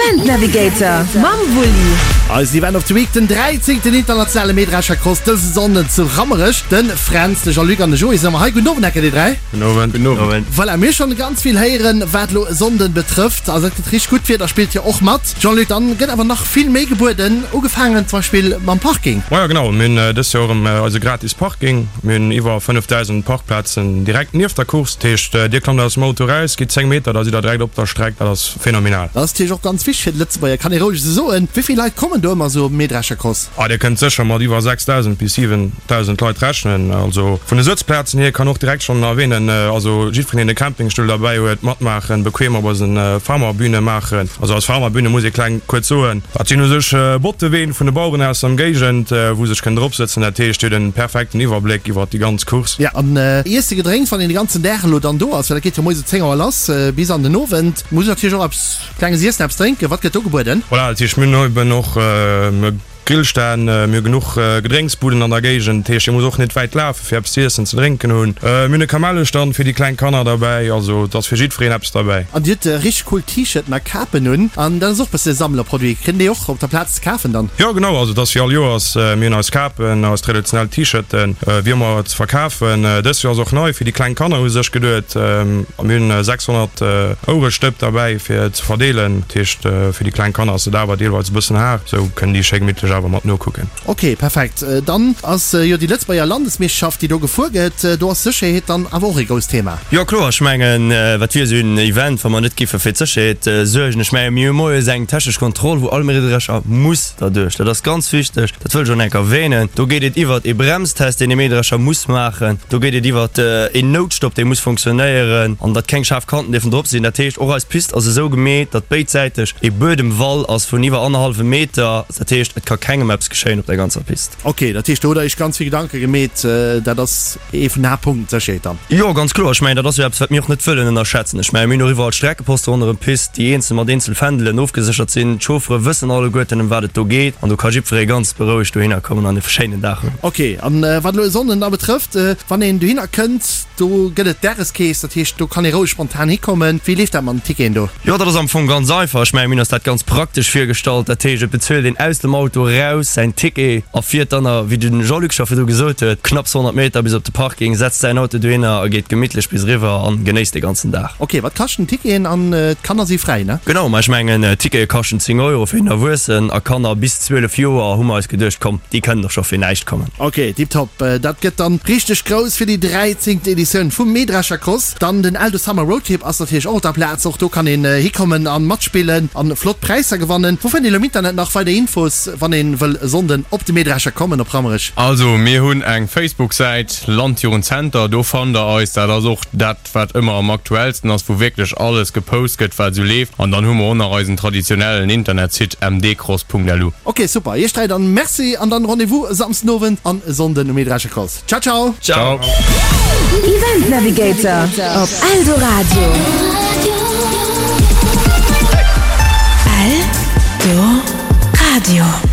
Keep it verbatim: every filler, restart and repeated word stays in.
Event Navigator mam Wulli. Eisen Event of the Week, den dräizéngten internationale Mähdreschercross dëse Sonnden zu Rammerech. De Fränz, de Jean-Luc an de Joé sinn ëmmer hei. Gudden Owend, Ecker, dir dräi. Gudden Owend. Gudden Owend. Voilà, mir hu schonn ganz vill héieren, wat elo e Sonnden betrëfft. Also et gëtt richteg gutt, d'Wieder spillt jo och mat. Jean-Luc, dann gëtt awer nach vill méi gebueden, ugefaangen zum Beispill mam Parking. Majo genau, mir hunn dëst Joer erëm eise gratis Parking. Mir hunn iwwer fënnefdausend Parkplazen direkt nieft der Course. Dat heescht, dir klammt aus dem Auto eraus, gitt zéng Meter, da sidd der direkt op der Streck. Dat ass phänomenal. Dat ass natierlech och ganz wichteg fir de Lëtzebuerger, kann ee roueg esou soen. Wéi vill Leit kommen do ëmmer esou op den Mähdreschercross? Ah, dir kënnt sécher mat iwwer sechsdausend bis siwendausend Leit rechnen. Also vun de Sëtzplazen hier kann och direkt schonn erwähnen, also jiddwereen deen e Campingstull derbäi huet, matmaachen, bequem op eisen Farmerbühne maachen. Also eis Farmerbühne muss ee kleng kuerz soen, dat sinn u sech Botteween vun de Baueren aus der Ëmgéigend, wou sech kënnen dropsëtzen. Dat heescht, dir hutt en perfekten Iwwerbléck iwwert déi ganz Course. Ja, an Iesse, Gedrénks, wann een de ganzen Dag elo dann do ass, well dat geet jo moies um zéng Auer lass bis an den Owend, muss een natierlech och eppes Klenges iessen, eppes drénken. Wat gëtt do gebueden? Voilà, dat heescht, mir hunn eben och Grillstänn, mir hu genuch Gedrénksbuden an der Géigend, dat heescht, dir musst och net wäit lafen, fir eppes ze iessen, ze drénken hunn. Mir hunn e Kamellestand fir déi kleng Kanner derbäi, also et ass fir jiddwereen eppes derbäi. An dir hutt richteg cool T-Shirten a Kapen un, an dat ass och bësse Sammlerproduit. Kritt een déi och op der Plaz ze kafen dann? Jo genau, also et ass wéi all Joers, mir hunn eis Kapen, eis traditionell T-Shirten wéi ëmmer ze verkafen. Dëst Joer ass och nei fir déi kleng Kanner hu sech geduet, mir hunn sechshonnert Ouerestëpp derbäi fir ze verdeelen. Dat heescht fir déi kleng Kanner ass et awer deelweis e bëssen haart, esou kënnen déi schéi gemittlech awer mat nokucken. Ok, perfekt. Dann ass jo déi Lëtzebuerger Landesmeeschterschaft, déi do gefuer gëtt. Do ass Sécherheet dann awer och ee grousst Thema. Jo kloer, ech mengen, wat wier esou en Event, wa mer net géife fir d'Sécherheet suergen. Ech menge mir hu moies eng technesch Kontroll, wou all Mähdrescher muss derduerch. Dat ass ganz wichteg, dat wëll ech och nach eng Kéier erwähnen. Do geet et iwwert ee Bremstest, deen ee Mähdrescher muss maachen. Do geet et iwwert een Noutstopp, dee muss funktionéieren an datt keng schaarf Kanten dierfen drop sinn. Dat heescht, och eis Pist ass esou gemeet, datt béidsäiteg ee Buedemwall ass vun iwwer annerhallwem Meter. Dat heescht, et ka kengem eppes geschéien op der ganzer Pist. Ok, dat heescht, do hutt Der Iech ganz vill Gedanke gemeet. Dat ass ee vun den Haaptpunkten, d'Sécherheet dann? Jo, ganz kloer. Ech mengen, dat ass jo eppes, wat mir och net wëllen ënnerschätzen. Ech mengen, mir hunn och iwwerall Streckeposte ronderëm d'Pist, déi eenzel mat eenzel Fändelen ofgeséchert sinn. D'Chauffere wëssen alleguerten, ëm wat et do geet an do ka jiddweree ganz berouegt dohinner kommen an e schéinen Dag hunn. Ok, an wat elo e Sonnden da betrëfft, wann een dohinner kënnt, do gëtt et Dageskeess, dat heescht, do kann ee roueg spontan hikommen. Wéi leeft dat mat den Ticketen do? Jo, dat ass am Fong ganz einfach. Ech mengen, mir hunn eis dat ganz praktesch virgestallt. Dat heescht, et bezuelt een aus dem Auto eraus säin Ticket a fiert dann, a wéi de Jean-Luc scho virdru gesot huet, knapps honnert Meter bis op de Parking, setzt säin Auto dohinner a geet gemittlech bis eriwwer an genéisst de ganzen Dag. Ok, wat kaschten d'Ticketen? An d'Kanner si fräi, ne? Genau, ma ech mengen, d'Tickete kaschten zéng Euro fir een Erwuessen a Kanner bis zwielef Joer hu mer eis geduecht, komm, déi kënnen och scho fir näischt kommen. Ok, tiptop. Dat gëtt dann richteg grouss fir déi dräizéngten Editioun vum Mähdrescher Cross. Dann den Eldo Summer Roadtrip ass natierlech och op der Plaz. Och do kann een hikommen an matspillen an flott Präisser gewannen. Wou fënnt een elo am Internet nach weider Infos, wann een wëll e Sonnden op de Mähdrescher kommen op Rammerech? Also mir hunn eng Facebook-Säit, Landjugendzenter, do fannt der eis. Dat ass och dat wat ëmmer am aktuellsten ass, wou wierklech alles gepost gëtt wat esou leeft. An dann hu mer och nach eisen traditionellen Internetsite mdcross.lu. Ok super, iech dräi dann Merci an dann Rendez-vous e Samsden Owend an e Sonnden um Mähdrescher Cross. Ciao ciao! Ciao! Event Navigator op Eldoradio. Eldoradio.